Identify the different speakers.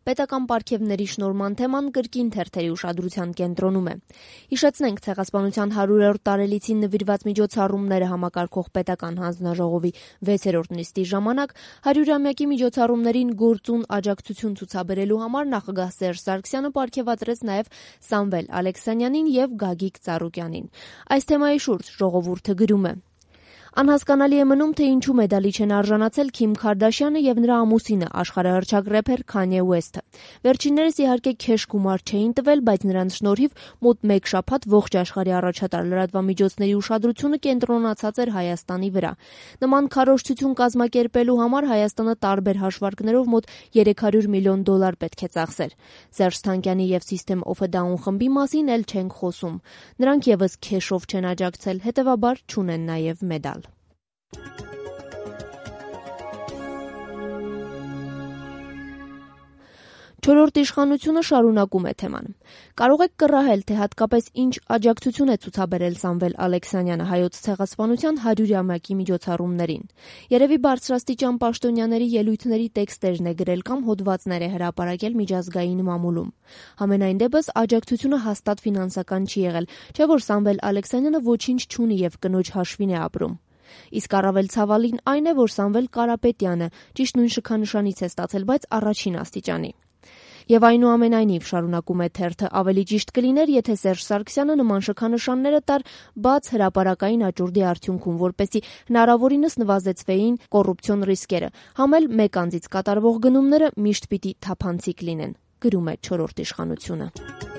Speaker 1: Պետական պարգևների շնորհման թեման կրկին թերթերի ուշադրության կենտրոնում է։ Հիշեցնենք, Ցեղասպանության 100-րդ տարելիցին նվիրված միջոցառումները համակարգող պետական հանձնաժողովի 6-րդ նիստի ժամանակ 100-ամյակի միջոցառումներին գործուն աջակցություն ցուցաբերելու համար նախագահ Սերժ Սարգսյանը պարգևատրեց նաև Սամվել Ալեքսանյանին եւ Գագիկ Ծառուկյանին։ Այս թեմայի շուրջ ժողովուրդը գրում է. Անհասկանալի է մնում, թե ինչու մեդալի չեն արժանացել Քիմ Քարդաշյանը եւ նրա ամուսինը, աշխարհահռչակ рэփեր Քանյե Ուեսթը։ Վերջիններս իհարկե քեշ գումար չէին տվել, բայց նրանց շնորհիվ մոտ 1 շաբաթ ողջ աշխարհի առաջատար լրատվամիջոցների ուշադրությունը կենտրոնացած էր Հայաստանի վրա։ Նման քարոզչություն կազմակերպելու համար Հայաստանը տարբեր հաշվարկներով մոտ $300 միլիոն պետք է ծախսեր։ Սերժ Թանկյանի եւ System of a Down խմբի մասին էլ չենք խոսում։ Նրանք եւս քեշով չեն աջակցել, հետեւաբար չունեն նաեւ մեդալ։ Չորրորդ իշխանությունը շարունակում է թեման։ Կարող եք կռահել, թե հատկապես ինչ աջակցություն է ցուցաբերել Սամվել Ալեքսանյանը հայոց ցեղասպանության 100-ամյակի միջոցառումներին։ Երևի բարձրաստիճան պաշտոնյաների ելույթների տեքստերն է գրել կամ հոդվածներ է հրապարակել միջազգային մամուլում։ Համենայն դեպս աջակցությունը հաստատ ֆինանսական չի եղել, չէ՞ որ Սամվել Ալեքսանյանը ոչինչ չունի եւ կնոջ հաշվին է ապրում։ Իսկ առավել ցավալին այն է, որ Սամվել Կարապետյանը ճիշտ նույն շքանշանից է ստացել, բայց առաջին աստիճանի։ Եվ այնուամենայնիվ, շարունակում է թերթը, ավելի ճիշտ կլիներ, եթե Սերժ Սարգսյանը նման շքանշանները տար բաց հրապարակային աճուրդի արդյունքում, որպեսզի հնարավորինս նվազեցվեին կոռուպցիոն ռիսկերը, համ էլ մեկ անձից կատարվող գնումները միշտ պիտի թափանցիկ լինեն, գրում է չորրորդ իշխանությունը։